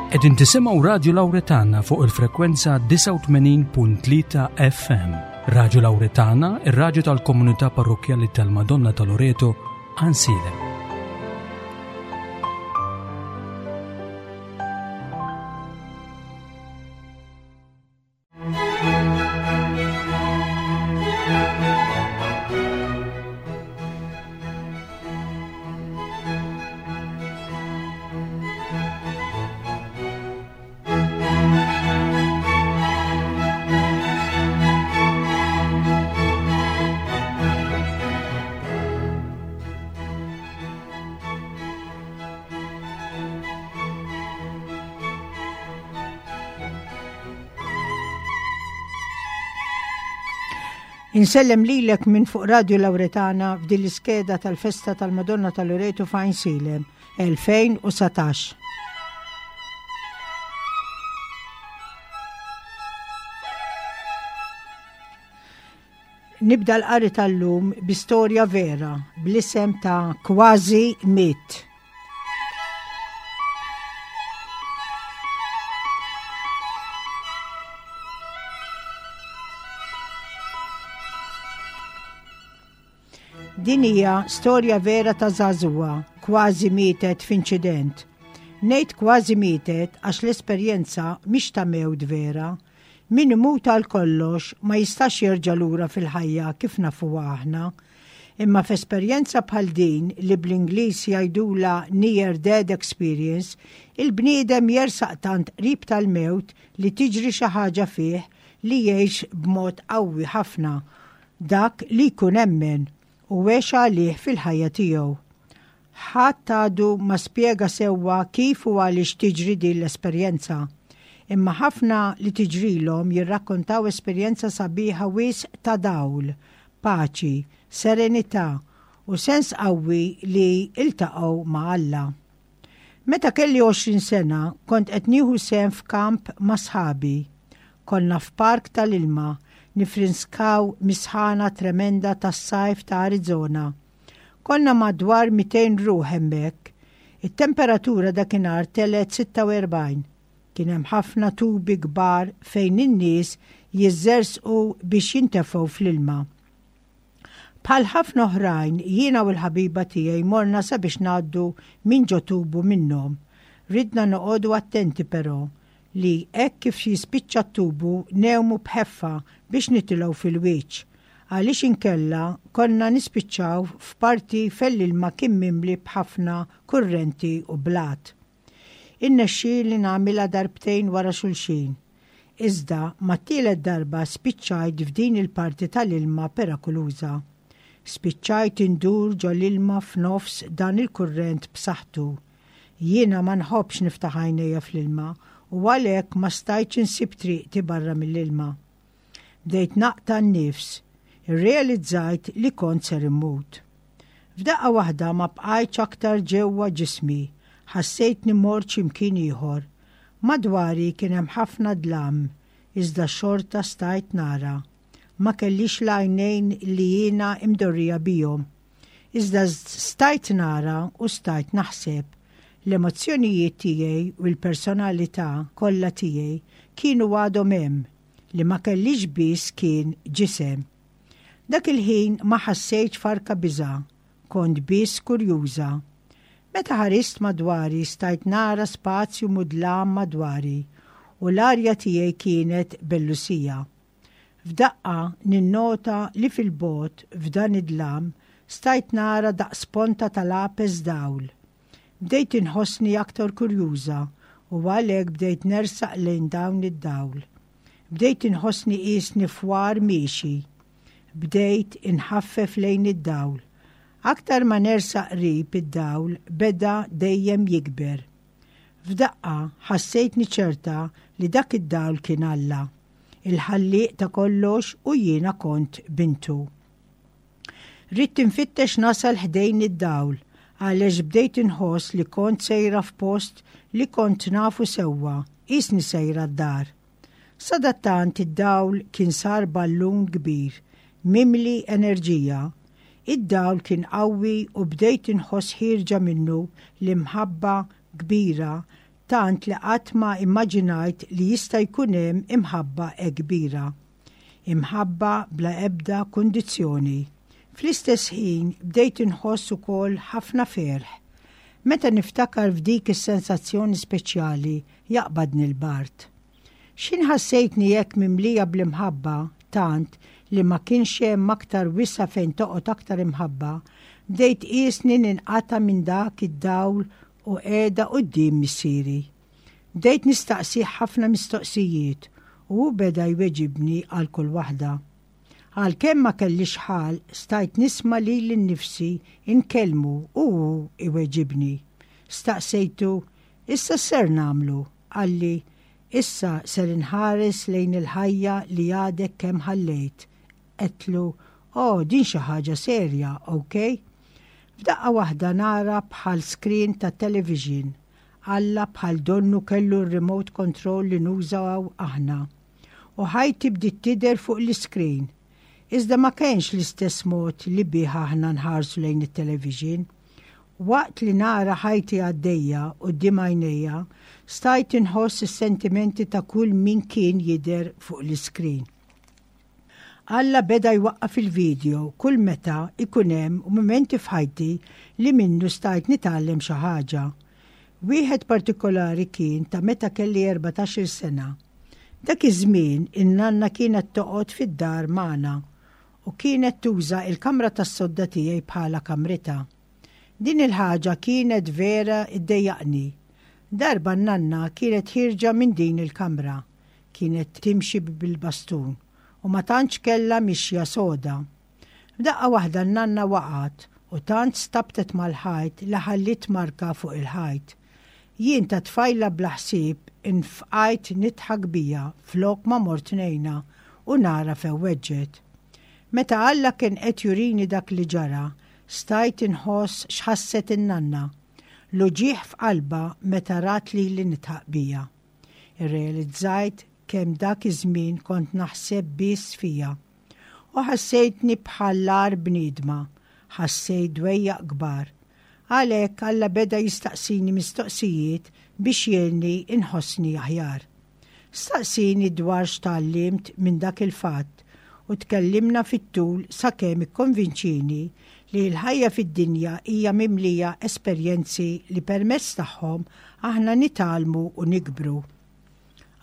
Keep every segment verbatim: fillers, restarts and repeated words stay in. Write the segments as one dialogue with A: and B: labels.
A: Qegħdin tisimgħu Radio Lauretana fuq il-frekwenza disgħa u tmenin punt tlieta F M. Radio Lauretana, ir-raġu tal-komunità parrokjali tal-Madonna ta' Loreto, Għajnsielem.
B: Insellem lilek minn fuq Radio Lauretana f'din l-iskeda tal-festa tal-Madonna tal-Loreto f'Għajnsielem elfejn u dsatax. Nibda l-qari tal-lum bi storja vera bl-isem ta' Kważi Mitt. Din hija storja vera ta' żagħżugħa kważi mietet f'inċident. Ngħid kważi mietet għax l-esperjenza mhix ta' mewt vera. Min imut għal kollox ma jistax jerġa' lura fil-ħajja kif nafuha aħna. Imma f'esperjenza bħal din, li bl-Ingliż jgħidula near death experience, il-bniedem jersaq tant qrib tal-mewt li tiġri xi ħaġa fih li jgħix b'mod qawwi ħafna dak li jkun emmen u għex għalih fil-ħajja tiegħu. Ħadd għadu ma spjega sewwa kif u għaliex tiġri din l-esperjenza. Imma ħafna li tiġrilhom jirrakkontaw esperjenza sabiħa wisq ta' dawl, paċi, serenità u sens qawwi li iltaqgħu ma' Alla. Meta kelli għoxrin sena kont qed nieħu sehem f'kamp ma' sħabi. Konna f'park tal-ilma nifrinskaw mis-sħana tremenda tas-sajf ta' Arizona. Konna madwar mitejn ruħ hemmhekk. It-temperatura dakinhar telgħet sitta u erbgħin. Kien hemm ħafna tubi kbar fejn in-nies jiżżerżqu biex jintefgħu fl-ilma. Bħal ħafna oħrajn, jiena u l-ħabiba tiegħi morna sabiex ngħaddu minn ġo tubu minnhom. Ridna noqogħdu attenti però li hekk kif jispiċċa t-tubu ngħumu b'ħeffa biex nitilgħu fil-wiċċ. Għaliex inkella konna nispiċċaw f'parti fejn l-ilma kien mimli b'ħafna kurrenti u blat. Irnexxieli nagħmilha darbtejn wara xulxin. Iżda mat-tielet darba spiċċajt f'din il-parti tal-ilma perikoluża. Spiċċajt indur ġo l-ilma f'nofs dan il-kurrent b'saħħtu. Jiena ma nħobbx niftaħ għajnejja fl-ilma u għalhekk ma stajtx insib triqti barra mill-ilma. Bdejt naqta' n-nifs, irrealizzajt li kont ser immut. F'daqqa waħda ma bqajtx aktar ġewwa ġismi, ħassejtni mort x'imkien ieħor. Madwari kien hemm ħafna dlam, iżda xorta stajt nara. Ma kellix l-għajnejn li jiena imdorrija bihom. Iżda stajt nara u stajt naħseb. L-emozzjonijiet tiegħi u l-personalità kollha tiegħi kienu għadhom hemm, li ma kellix biss kien ġisem. Dak il-ħin ma ħassejtx farka biża, kont biss kurjuża. Meta ħarist madwari stajt nara spazju mudlam madwari u l-arja tiegħi kienet bellusija. F'daqqa ninnota li fil-bogħod f'dan id-dlam stajt nara daqs ponta tal-lapes dawl. Bdejt inħossni aktar kurjuża u għalhekk bdejt nersaq lejn dawn id-dawl. Bdejt inħossni qisni fwar miexi. Bdejt inħaffef lejn id-dawl. Aktar ma nersaq qrib, id-dawl beda dejjem jikber. F'daqqa ħassejtni ċerta li dak id-dawl kien Alla, il-ħallieq ta' kollox, u jiena kont bintu. Ridt infittex nasal ħdejn id-dawl għaliex bdejt inħoss li kont sejra f'post li kont nafu sewwa, qisni sejra d-dar. Sadattant id-dawl kien sar ballun kbir, mimli enerġija. Id-dawl kien qawwi u bdejt inħoss ħierġa minnu l-imħabba kbira Tant li qatt ma immaġinajt li jista' jkun hemm imħabba hekk kbira. Imħabba bla ebda kundizzjoni. Fl-istess ħin bdejt inħoss ukoll ħafna ferħ. Meta niftakar f'dik is-sensazzjoni speċjali jaqbadni l-bard. X'ħin ħassejtni hekk mimlija bl-imħabba tant li ma kienx hemm aktar wisa' fejn toqgħod aktar imħabba, bdejt qisni ninqata' minn dak id-dawl u qiegħda quddiem missieri. Bdejt nistaqsih ħafna mistoqsijiet u hu beda jweġibni għal kull waħda. Għalkemm ma kellix ħalq, stajt nisma' lili nnifsi nkellmu u hu iweġibni. Staqsejtu, issa x'ser nagħmlu? Qalli, issa ser inħares lejn il-ħajja li għadek kemm ħallejt. Għedtlu, oh, din xi ħaġa serja, ok? F'daqqa waħda nara bħal screen ta' television. Alla bħal donnu kellu r-remote control li nużaw aħna. U ħajti bdiet tidher fuq l-screen. Iżda ma kienx l-istess mod li bih aħna nħarsu lejn it-television. Waqt li nara ħajti għaddejja quddiem għajnejja, stajt inħoss is-sentimenti ta' kull min kien jidher fuq l-screen. Alla beda jwaqqaf il-video kull meta ikun hemm mumenti f'ħajti li minnu stajt nitgħallem xi ħaġa. Wieħed partikolari kien ta' meta kelli erbatax-il sena. Dak iż-żmien in-nanna kienet toqgħod fid-dar magħna u kienet tuża il-kamra tas-sodda tiegħi bħala kamritha. Din il-ħaġa kienet vera iddejjaqni. Darba n-nanna kienet ħierġa minn din il-kamra. Kienet timxi bil-bastun u ma tantx kellha mixja soda. F'daqqa waħda n-nanna waqgħet u tant stabtet mal-ħajt li ħallit marka fuq il-ħajt. Jien ta' tfajla bla ħsieb infqajt nidħak bija flok ma mort ngħinha u nara fejn weġġgħet. Meta Alla kien qed jurini dak li ġara, stajt inħoss x'ħasset in-nanna. L-uġigħ f'qalba meta rat li li nidħaq bija. Irrealizzajt kemm dak iż-żmien kont naħseb biss fija. U ħassejtni bħal bniedma, ħassejt dwejjaq kbar. Għalhekk Alla beda jistaqsini mistoqsijiet biex jgħinni inħossni aħjar. Staqsini dwar x'tgħallimt minn dak il-fatt u tkellimna fit-tul sakemm ikkonvinċini li l-ħajja fid-dinja hija mimlija esperjenzi li permezz tagħhom aħna nitgħallmu u nikbru.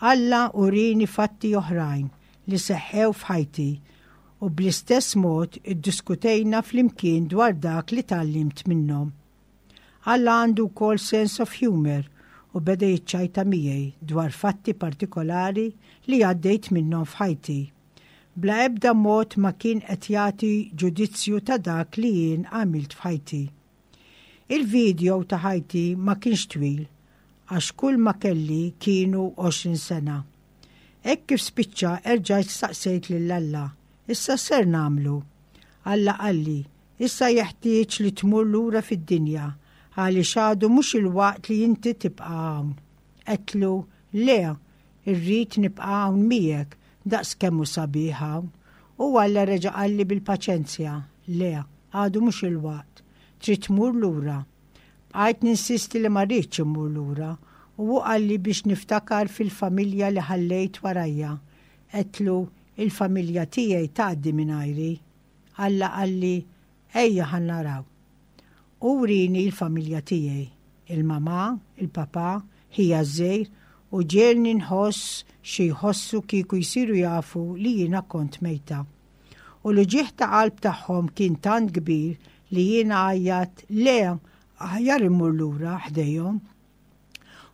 B: Alla urini fatti oħrajn li seħħew f'ħajti u bl-istess mod iddiskutejna flimkien dwar dak li tgħallimt minnhom. Alla għandu wkoll sense of humor u beda jiċċajta miegħi dwar fatti partikolari li għaddejt minnhom f'ħajti. Bla ebda mod ma kien qed jagħti ġudizzju ta' dak li jien għamilt f'ħajti. Il-video ta' ħajti ma kienx twil, għax kull ma kelli kienu għoxrin sena. Hekk kif spiċċa erġajt staqsejt lil Alla, issa x'ser nagħmlu? Alla qalli, issa jeħtieġ li tmur lura fid-dinja, għaliex għadu mhux il-waqt li inti tibqa' hawn. Għedtlu, le, irrid nibqa' hawn miegħek, daqs kemm hu sabiħ hawn. U Alla reġa' qalli bil-paċenzja, le, għadu mhux il-waqt, trid tmur lura. Bqajt ninsisti li ma rridx immur lura u hu qalli biex niftakar fil-familja li ħallejt warajja. Għedtlu, il-familja tiegħi tgħaddi mingħajri. Alla qalli, ejja ħa naraw. U wrieni l-familja tiegħi, il-mama, il-papa, ħija ż-żgħir, u ġiegħelni nħoss xi jħossu kieku jsiru jafu li jiena kont mejta. U l-uġigħ ta' qalb tagħhom kien tant kbir li jiena għajjatt, le, aħjar immur lura ħdejhom.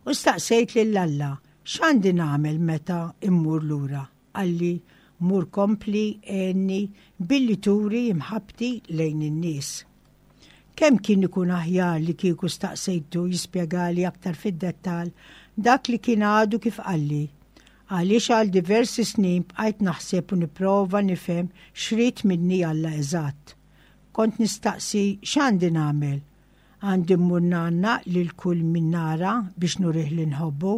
B: U staqsejt lil Alla, x'għandi nagħmel meta immur lura? Qalli, mur kompli għenni billi turi imħabbti lejn in-nies. Kemm kien ikun aħjar li kieku staqsejtu jispjegali aktar fid-dettal dak li kien għadu kif qalli. Għaliex għal diversi snin bqajt naħseb u nipprova nifhem x'ried minni Alla eżatt. Kont nistaqsi x'għandi nagħmel. Għandi mmur ngħannaq lil kull min nara biex nurih li nħobbu.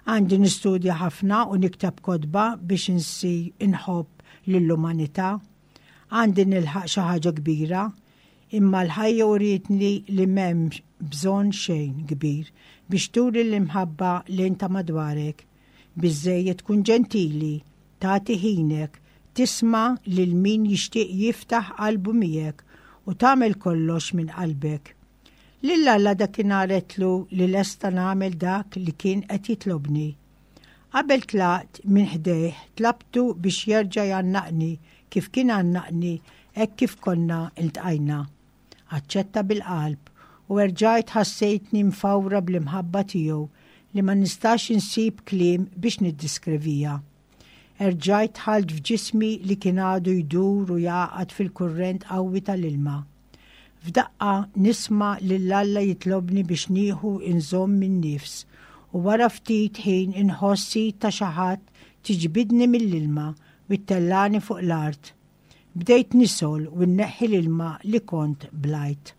B: Għandi nistudja ħafna u nikteb kotba biex insir inħobb lill-umanità. Għandi nilħaq xi ħaġa kbira. Imma l-ħajja urietni li m'hemmx bżonn xejn kbir biex turi l-imħabba lejn ta' madwarek. Biżżejjed tkun ġentili, tagħti ħinek, tisma' lil min jixtieq jiftaħ qalbu miegħek u tagħmel kollox minn qalbek. Lil Alla dakinhar għedtlu li lesta nagħmel dak li kien qed jitlobni. Qabel tlaqt minn ħdejh tlabtu biex jerġa' jgħannaqni kif kien għannaqni hekk kif konna iltqajna. Aċċetta bil-qalb u erġajt ħassejtni mfawra bl-imħabba tiegħu li ma nistax insib kliem biex niddiskrivija. Erġajt dħalt f'ġismi li kien għadu jdur u jagħqad fil-kurrent qawwi tal-ilma. F'daqqa nisma' lil Alla jitlobni biex nieħu inżomm in-nifs u wara ftit ħin inħoss id ta' xi ħadd tiġbidni mill-ilma u ttellani fuq l-art. Bdejt nisgħol u nneħħi l-ilma li kont blajt.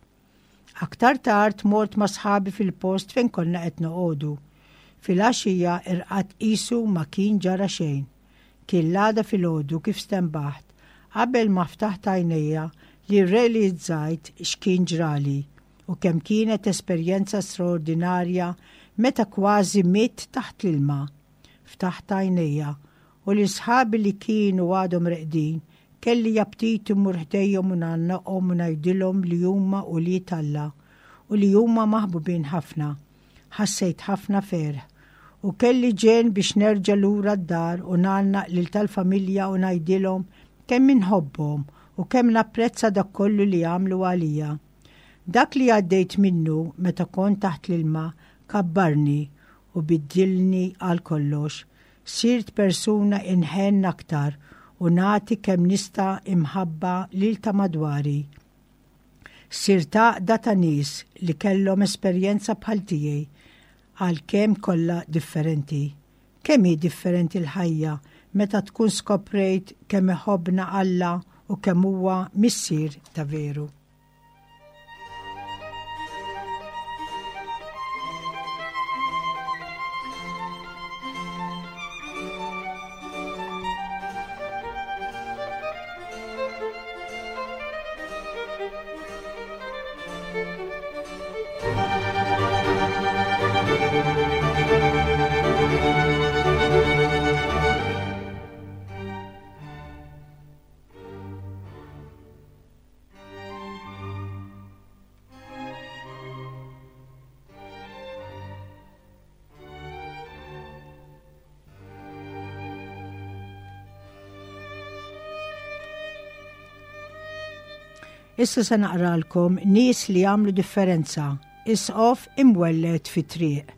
B: Aktar tard mort ma' sħabi fil-post fejn konna qed noqogħdu. Fil-għaxija irqadt qisu ma kien ġara xejn. Kien l-għada filgħodu kif stenbaħt, qabel ma ftaħt għajnejja li rrealizzajt x'kien ġrali u kemm kienet esperjenza straordinarja meta kważi mitt taħt l-ilma. Ftaħt għajnejja u lil sħabi li kienu għadhom reqdin kelli aptit immur ħdejhom u ngħannaqhom u ngħidilhom li huma ulied Alla u li huma maħbubin ħafna. Ħassejt ħafna ferħ u kelli ġenn biex nerġa' lura d-dar u ngħannaq lil tal-familja u ngħidilhom kemm inħobbhom u kemm napprezza dak kollu li għamlu għalija. Dak li għaddejt minnu meta kont taħt l-ilma kabbarni u biddilni għal kollox. Sirt persuna inħenn aktar u nagħti kemm nista' imħabba lil ta' madwari. Sirt għaqda ta' nies li kellhom esperjenza bħal tiegħi għalkemm kollha differenti. Kemm hi differenti l-ħajja meta tkun skoprejt kemm iħobbna Alla u kemm huwa missier ta' veru. Issa se naqralkom nies li għamlu differenza, isqof imwelled fi triq.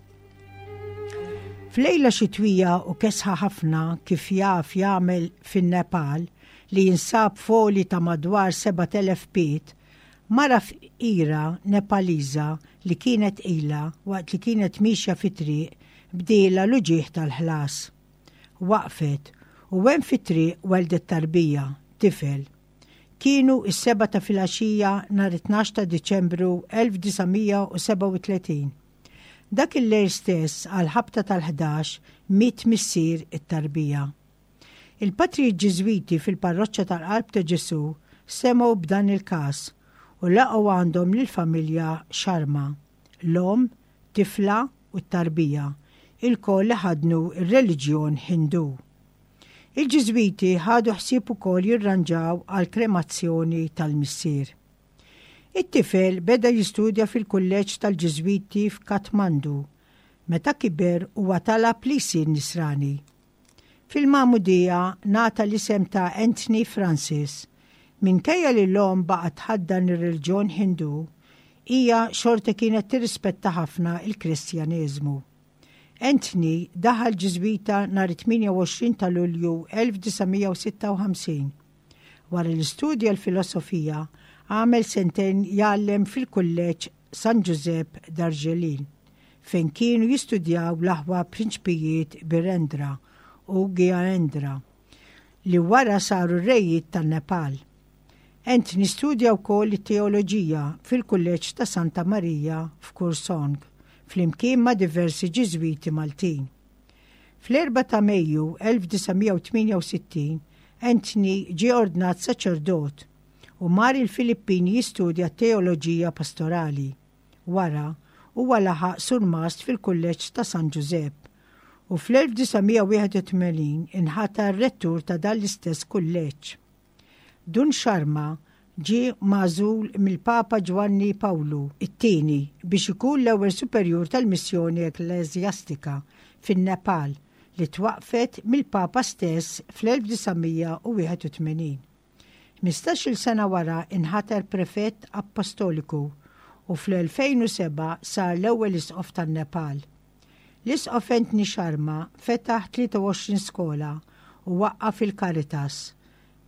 B: F'lejla xitwija u kesħa ħafna kif jaf jagħmel fin-Nepal li jinsab foli ta' madwar sebat elef pied, mara fqira Nepaliża li kienet ilha waqt li kienet mixja fi triq bdiela l-uġigħ tal-ħlas. Waqfet u hemm fi triq weldet tarbija, tifel. Kienu is-seba ta' filgħaxija nhar it-tnax ta' Diċembru elf disa' mija u sebgħa u tletin. Dak il-lejl stess għal ħabta tal-ħdax miet missier it-tarbija. Il-patrijiet Ġiżwiti fil-parroċċa tal-Qalb ta' Ġesù semgħu b'dan il-każ u laqgħu għandhom lill-familja Sharma, l-omm, tifla u t-tarbija, ilkoll li ħadnu r-reliġjon Hindu. Il-Ġiżwiti ħadu ħsieb ukoll jirranġaw għal kremazzjoni tal-missier. It-tifel beda jistudja fil-kulleġġ tal-Ġiżwiti f'Kathmandu. Meta kiber huwa talab li jsir nisrani. Fil-Magħmudija ngħata l-isem ta' Anthony Francis. Minkejja li l-omm baqgħet tħaddan ir-reliġjon Hindu, hija xorta kienet tirrispetta ħafna il-Kristjaneżmu. Anthony daħal Ġiżwita nhar it-tmienja u għoxrin ta' Lulju elf disa' mija u sitta u ħamsin. Wara li studja l-filosofija, għamel sentejn jgħallem fil-kulleġġ San Giuseppe Darjeeling, fejn kienu jistudjaw l-aħwa prinċpijiet Birendra u Gyanendra, li wara saru r-rejiet tan-Nepal. Anthony studja wkoll it-teoloġija fil-kulleġġ ta' Santa Maria f'Kursong, flimkien ma' diversi Ġiżwiti Maltin. Fl-erba' ta' Mejju elf disa' mija u tmienja u sittin, Anthony ġie ordnat saċerdot u mar il-Filippini jistudja teoloġija pastorali. Wara, huwa laħaq surmast fil-Kulleġġ ta' San Ġużepp u fl-elf disa' mija wieħed u tmenin inħatar rettur ta' dan l-istess kulleġġ. Dun Sharma ġie magħżul mill-Papa Ġwanni Pawlu it-tieni biex ikun l-ewwel superjur tal-missjoni ekkleżjastika fin-Nepal li twaqfet mill-Papa stess fl-elf disa' mija u wieħed u tmenin. Ħmistax-il sena wara inħatar prefett apostoliku u fl-elfejn u seba' sar l-ewwel isqof tan-Nepal. L-isqof Anthony Sharma fetaħ tlieta u għoxrin skola u waqqaf il-Caritas.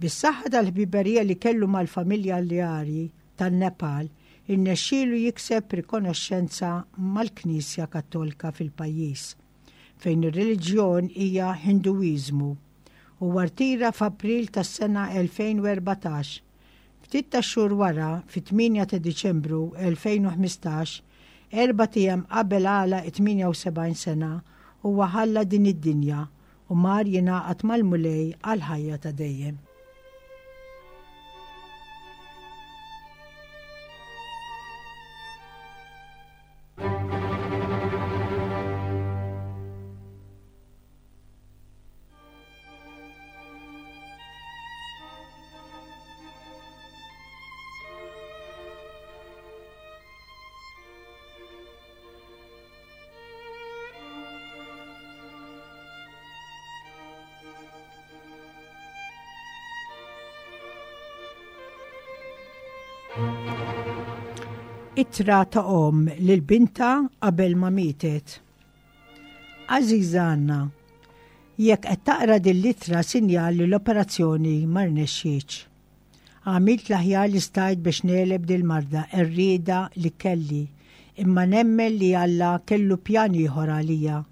B: Bis-saħħa tal-ħbiberija li kellu mal-familja Liari tan-Nepal, irnexxielu jikseb rikonoxxenza mal-Knisja Kattolika fil-pajjiż, fejn ir-reliġjon hija Hinduiżmu, u rtira f'April tas-sena elfejn u erbatax. Ftit ta' xhur wara, fit-tmienja ta' Diċembru elfejn u ħmistax, erbat ijiem qabel għala tmienja u sebgħin sena, huwa ħalla din id-dinja u mar jingħaqad mal-Mulej għal ħajja ta' dejjem. Ittra ta' omm lil binta qabel ma mietet. Għażiża Anna, jekk qed taqra din l-ittra sinjal li l-operazzjoni ma rnexxietx. Għamilt l-aħjar li stajt biex negħleb dil-marda qerrieda li kelli, imma nemmen li Alla kellu pjan ieħor għalija.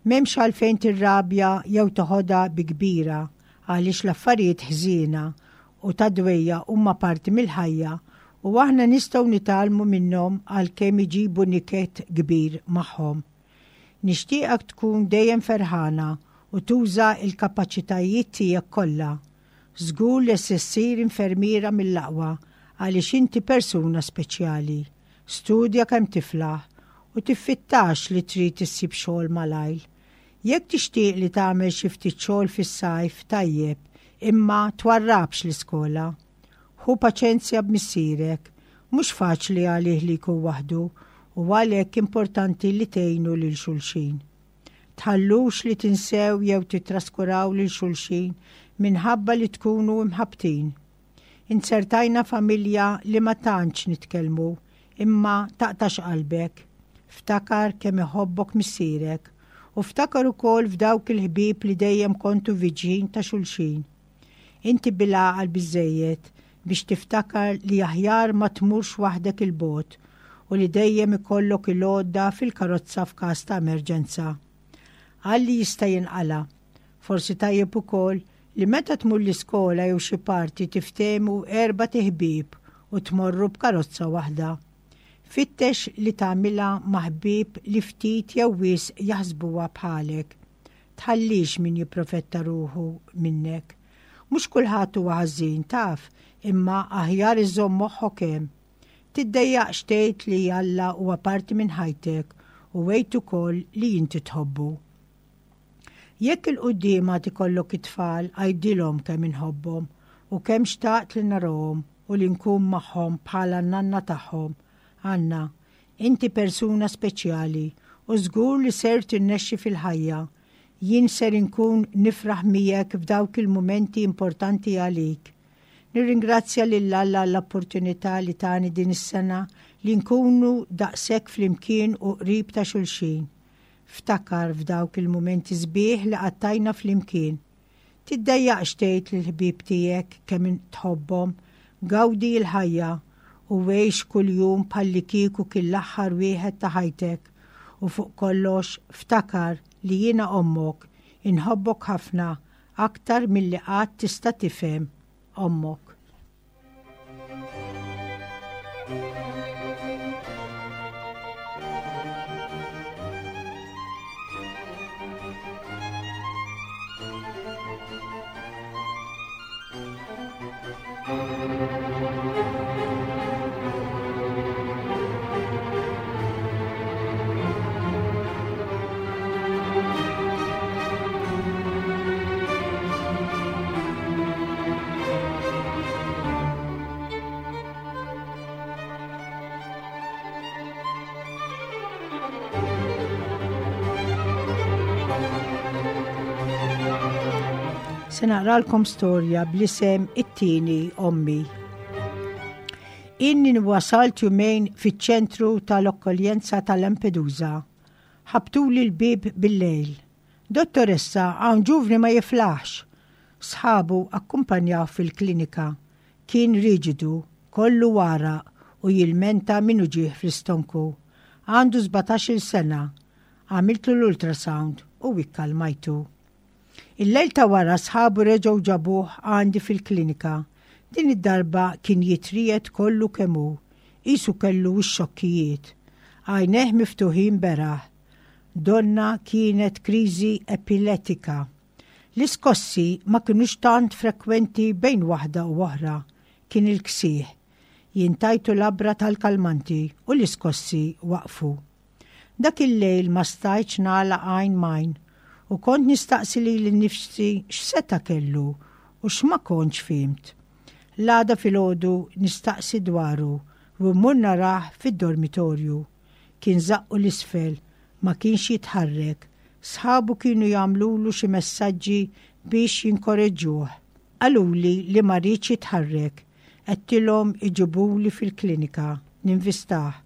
B: M'hemmx għalfejn tirrabja jew toħodha bi kbira għaliex l-affarijiet ħżiena u ta' dwejja huma parti mill-ħajja u aħna nistgħu nitgħallmu minnhom għalkemm iġibu niket kbir magħhom. Nixtieqek tkun dejjem ferħana u tuża l-kapaċitajiet tiegħek kollha. Żgur li se ssir infermiera mill-aqwa għaliex inti persuna speċjali. Studja kemm tiflaħ u tiffittax li trid issib xogħol malajr. Jekk tixtieq li tagħmel xi ftit xogħol fis-sajf tajjeb, imma twarrabx l-iskola. Ħu paċenzja b'missierek, mhux faċli għalih li jkun waħdu u għalhekk importanti li tgħinu lil xulxin. Tħallux li tinsew jew titraskuraw lil xulxin minħabba li tkunu imħabtin. Inzertajna familja li ma tantx nitkellmu, imma taqtax qalbek. Ftakar kemm iħobbok missierek u ftakar ukoll f'dawk il-ħbieb li dejjem kontu viġin ta' xulxin. Inti bil-għaqal biżżejjed biex tiftakar li aħjar ma tmurx waħdek il-bogħod u li dejjem ikollok il-għodda fil-karozza f'każ ta' emerġenza. Għalli jista' jinqala. Forsi tajjeb ukoll li meta tmur l-iskola jew xi parti tiftehmu erba' tiħbieb u tmorru b'karozza waħda. Fittex li tagħmilha ma' ħbieb li ftit jew wisq jaħsbuha bħalek. Tħallix min jipprofetta ruħu minnek. Mhux kulħadd huwa ħażin taf, imma aħjar iżomm moħħok hemm. Tiddejjaqx tgħid li Alla huwa parti minn ħajtek u għid ukoll li inti tħobbu. Jekk il-quddiem għad ikollok it-tfal, għidilhom kemm inħobbhom u kemm xtaqt li narahom u li nkun magħhom bħala n-nanna tagħhom. Anna, inti persuna speċjali u żgur li ser tinnexxi fil-ħajja. Jien ser inkun nifraħ miegħek f'dawk il-mumenti importanti għalik. Nirringrazzja lil Alla għall-opportunità li tani din is-sena li nkunu daqshekk flimkien u qrib ta' xulxin. Ftakar f'dawk il-mumenti sbieħ li qattajna flimkien. Tiddejjaqx tgħid lill-ħbieb tiegħek kemm tħobbhom, gawdi l-ħajja u għix kuljum bħallikieku kien l-aħħar wieħed ta' ħajtek u fuq kollox ftakar li jiena ommok, inħobbok ħafna aktar milli qatt tista' tifhem ommok.
C: Thank you.
B: Se naqralkom storja bl-isem It-tieni ommi. Inni wasalt jumejn fiċ-ċentru tal-akkoljenza ta' Lampedusa. Ħabtuli l-bib bil-lejl. "Dottoressa, hawn ġuvni ma jiflaħx." Sħabu akkumpanjaw fil-klinika. Kien riġidu, kollu għaraq u jilmenta minn uġigħ fl-istonku. Għandu sbatax-il sena. Għamiltu l-ultrasound u ikkalmajtu. Il-lejl ta' wara sħabu reġgħu ġabuh għandi fil-klinika. Din id-darba kien jitriegħed kollu kemm hu, qisu kellu x-xokkijiet. Għajnejh miftuħin beraħ. Donnha kienet kriżi epilettika. L-iskossi ma kienux tant frekwenti bejn waħda u oħra. Kien il-ksieħ. Jien tajtu labra tal-kalmanti u l-iskossi waqfu. Dak il-lejl ma stajtx nagħlaq għajn m'għajn u kont nistaqsi lili nnifsi x'seta' kellu u x'ma kontx fhimt. L-għada filgħodu nistaqsi dwaru u mmur narah fid-dormitorju. Kien żaqqu 'l isfel, ma kienx jitħarrek. Sħabu kienu jagħmlulu xi messaġġi biex jinkoreġġuh. Qaluli li ma riedx jitħarrek. Għedtilhom iġibuli fil-klinika, ninvistah.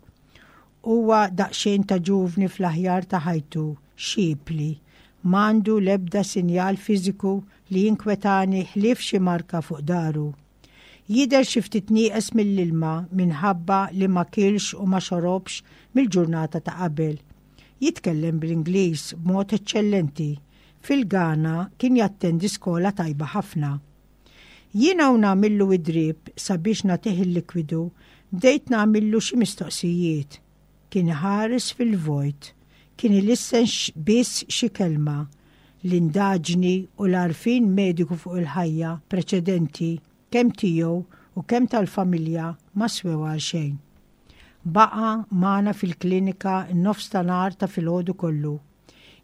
B: Huwa daqsxejn ta' ġuvni fl-aħjar ta' ħajtu, xipli. M'għandu l-ebda sinjal fiżiku li jinkwetani ħlief xi marka fuq dahru. Jidher xi ftit nieqes mill-ilma minħabba li ma kilx u ma xorobx mill-ġurnata ta' qabel. Jitkellem bl-Ingliż b'mod eċċellenti. Fil-Ghana kien jattendi skola tajba ħafna. Jiena u nagħmillu id-drip sabiex nagħtih il-likwidu, bdejt nagħmillu xi mistoqsijiet. Kien ħares fil-vojt, kien ilissen biss xi kelma. L-indaġni u l-għarfien mediku fuq il-ħajja preċedenti kemm tiegħu u kemm tal-familja ma swew għal xejn. Baqa' magħna fil-klinika n-nofs ta' nhar ta' filgħodu kollu.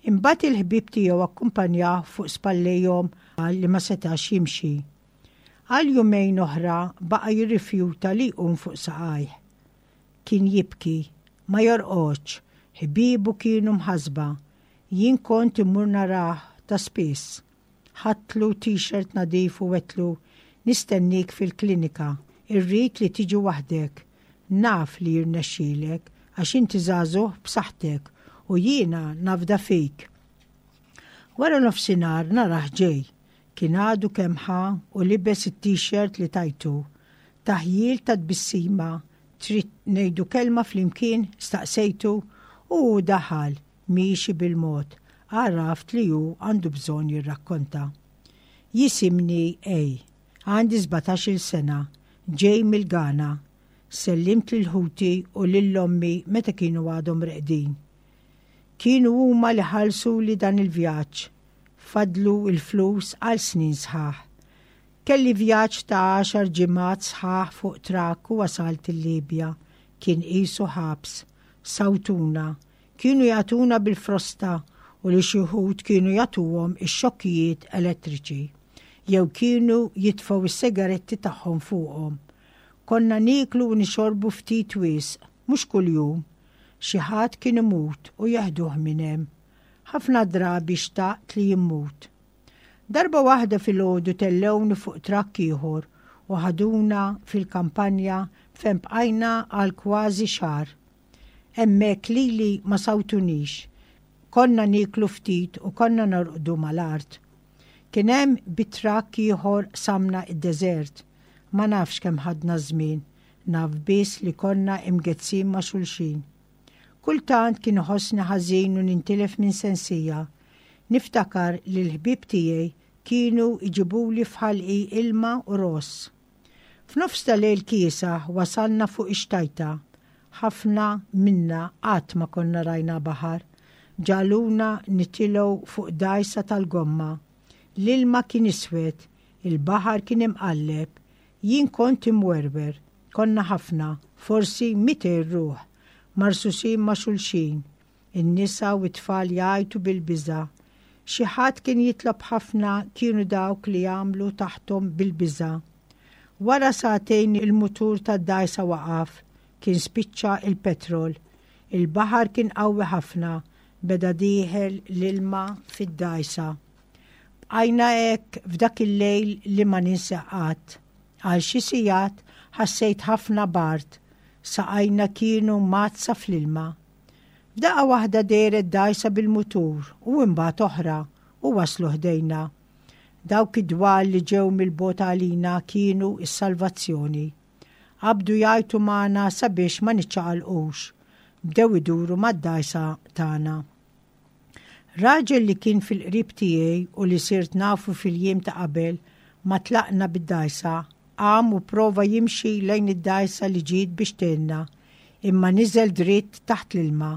B: Imbagħad il-ħbieb tiegħu akkumpanjah fuq spallejhom għal li ma setax jimxi. Għal jumejn oħra baqa' jirrifjuta li jqum fuq saqajh. Kien jibki, ma jorqodx, ħbiebu kienu mħassba. Jien kont immur narah ta' spiss. Ħadtlu t-shirt nadif u għedtlu, "Nistennik fil-klinika, irrid li tiġi waħdek. Naf li jirnexxilek għax inti żagħżugħ b'saħħtek u jiena nafda fik." Wara nofsinhar narah ġej. Kien għadu kemm ħa u libes it-t-shirt li tajtu. Taħjil ta' tbissima, "Trid ngħidu kelma flimkien?" staqsejtu u daħal miexi bil-mod. Għaraft li hu għandu bżonn jirrakkonta. "Jisimni A. Għandi sbatax-il sena, ġej mill-Ghana. Sellimt lil ħuti u lil ommi meta kienu għadhom reqdin. Kienu huma li ħallsuli dan il-vjaġġ. Fadlu il-flus għal snin sħaħ. Kelli vjaġġ ta' għaxar ġimgħat sħaħ fuq trakk u wasalt il-Libja. Kien qisu ħabs. Sawtuna. Kienu jagħtuna bil-frosta u li xi wħud kienu jagħtuhom ix-xokkijiet elettriċi jew kienu jitfgħu is-sigaretti tagħhom fuqhom. Konna nieklu u nixorbu ftit wisq, mhux kuljum. Xi ħadd kien imut u jeħduh minn hemm. Ħafna drabi xtaqt li mmut. Darba waħda filgħodu tellgħuni fuq trakk ieħor u ħaduna fil-kampanja fejn bqajna għal kważi xahar. Hemmhekk lili ma sawtunix. Konna nieklu ftit u konna norqdu mal-art. Kien hemm bit-trakk ieħor qsamna id-deżert. Ma nafx kemm ħadna żmien, naf biss li konna imgezzin ma' xulxin. Kultant kien iħossni ħażin u nintilef minn sensija. Niftakar li l-ħbieb tiegħi kienu iġibuli f'ħalqi ilma u ross. F'nofs ta' lejl kiesaħ wasalna fuq ix-xtajta. Ħafna minna qatt ma konna rajna baħar. Ġagħluna nitilgħu fuq dgħajsa tal-gomma. L-ilma kien iswed, il-baħar kien imqalleb, jien kont imwerwer, konna ħafna, forsi mitejn ruħ, marsusin ma' xulxin, in-nisa u t-tfal jgħajtu bil-biża'. Xi ħadd kien jitlob ħafna kienu dawk li jagħmlu taħthom bil-biża'. Wara sagħtejn il-mutur tad-dgħajsa waqaf, kien spiċċa il-petrol. Il-baħar kien qawwi ħafna, beda dieħel l-ilma fid-dgħajsa. Bqajna hekk f'dak il-lejl li ma ninsa qatt. Għal xi sigħat ħassejt ħafna bard, saqajna kienu mgħaddsa fl-ilma. F'daqqa waħda dehret dgħajsa bil-mutur u imbagħad oħra u waslu ħdejna. Dawk id-dwal li ġew mill-bogħod għalina kienu s-salvazzjoni. Qabdu jgħajtu magħna sabiex ma niċċaqalqux. Bdew iduru mad-dgħajsa tagħna. Raġel li kien fil-qrib tiegħi u li sirt nafu fil-jiem ta' qabel ma tlaqna bid-dgħajsa, qam u prova jimxi lejn id-dgħajsa li ġiet biex tgħinna, imma niżel dritt taħt l-ilma.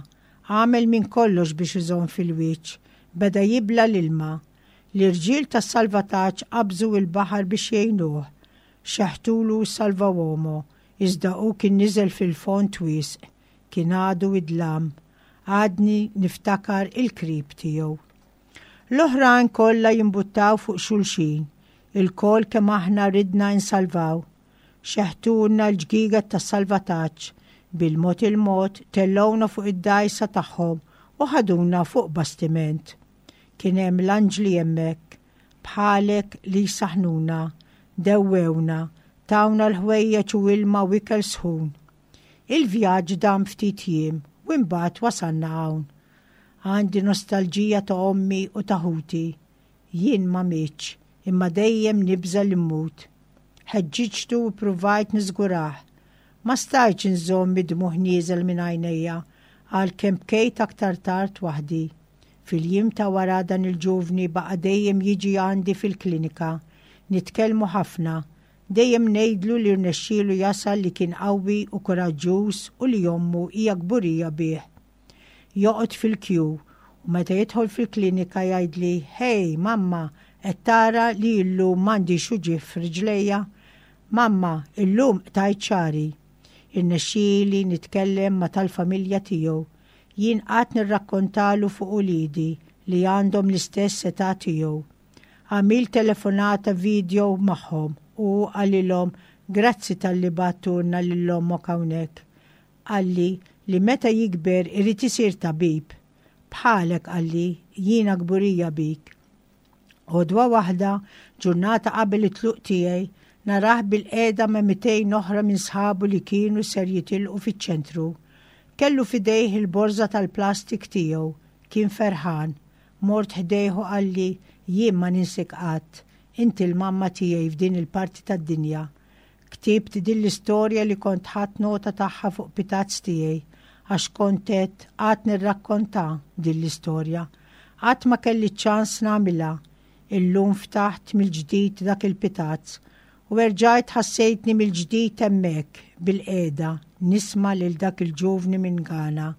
B: Għamel minn kollox biex iżomm fil-wiċċ, beda jibla l-ilma. L-irġiel tas-salvataġġ qabżu il-baħar biex jgħinuh. Xeħtulu salvawomo, iżda hu kien niżel fil-fond wisq, kien għadu id-dlam. Għadni niftakar il-krib tiegħu. L-oħrajn kollha jimbuttaw fuq xulxin, ilkoll kemm aħna ridna insalvaw. Xeħtulna l-ġgieget tas-salvataġġ, bil-mod il-mod tellgħuna fuq id-dgħajsa tagħhom u ħaduna fuq bastiment. Kien hemm l-anġli hemmhekk, bħalek li saħnuna, dewwewna, tawna l-ħwejjeġ u ilma u ikel sħun. Il-vjaġġ dam ftit jiem u imbagħad wasalna hawn. Għandi nostalġija ta' ommi u ta' ħuti. Jien ma mitx, imma dejjem nibża' li mmut. Ħeġġiġtu u provajt niżgurah. Ma stajtx inżomm id-dmugħ nieżel minn għajnejja għalkemm bkejt aktar tard waħdi. Fil-jiem ta' wara dan il-ġuvni baqa' dejjem jiġi għandi fil-klinika. Nitkellmu ħafna. Dejjem ngħidlu li rnexxielu jasal li kien qawwi u kuraġġuż u li ommu hija kburija bih. Joqgħod fil-kju u meta jidħol fil-klinika jgħidli, "Hey, mamma, qed tara li llum m'għandix uġigħ f'riġlejja? Mamma, illum qtajt xagħri." Irnexxieli nitkellem ma' tal-familja tiegħu. Jien qatt nirrakkontalu fuq uliedi li għandhom l-istess età tiegħu. Għamil telefonata video magħhom u qalilhom grazzi talli bgħattulna lil ommok hawnhekk. Qalli li meta jikber irid isir tabib. Bħalek qalli jiena kburija bik. Għodwa waħda, ġurnata qabel it-tluq tiegħi, narah bilqiegħda ma' mitejn oħra minn sħabu li kienu ser jitilqu fiċ-ċentru. Kellu f'idejh il-borża tal-plastik tiegħu, kien ferħan. Mort ħdejh u qalli jien ma ninsik qatt, inti l-mamma tiegħi f'din il-parti tad-dinja. Ktibt din l-istorja li kont ħadt nota tagħha fuq pitazz tiegħi, għax kont qed qatt nirrakkonta din l-istorja. Qatt ma kelli ċans nagħmilha. Illum ftaħt mill-ġdid dak il-pitazz u erġajt ħassejtni mill-ġdid hemmhekk bilqiegħda nisma' lil dak il-ġuvni minn Ghana.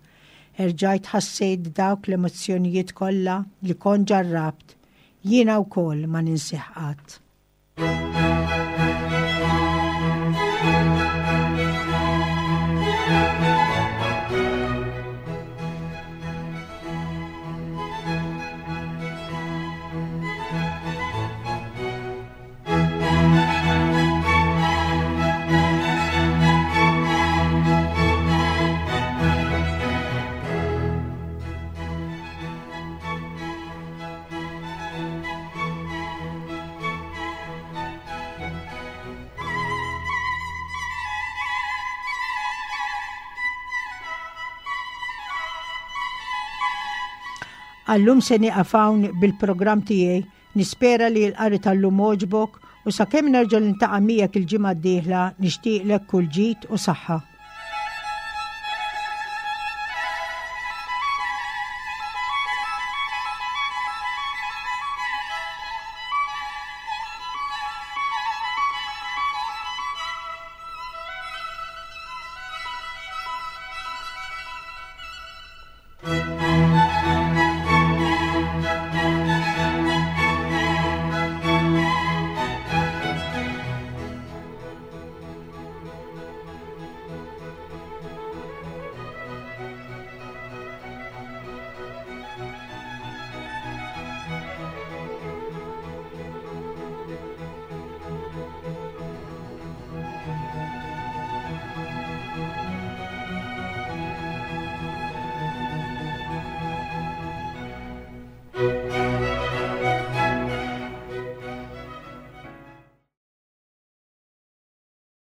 B: Erġajt ħassejt dawk l-emozzjonijiet kollha li kont ġarrabt. Jiena wkoll ma ninsih qatt. Għal-lum se nieqaf hawn bil-programm tiegħi, nispera li l-qari tal-lum għoġbok u sakemm nerġa' niltaqa' miegħek il-ġimgħa d-dieħla nixtieqlek kull ġid u saħħa.
C: Thank you.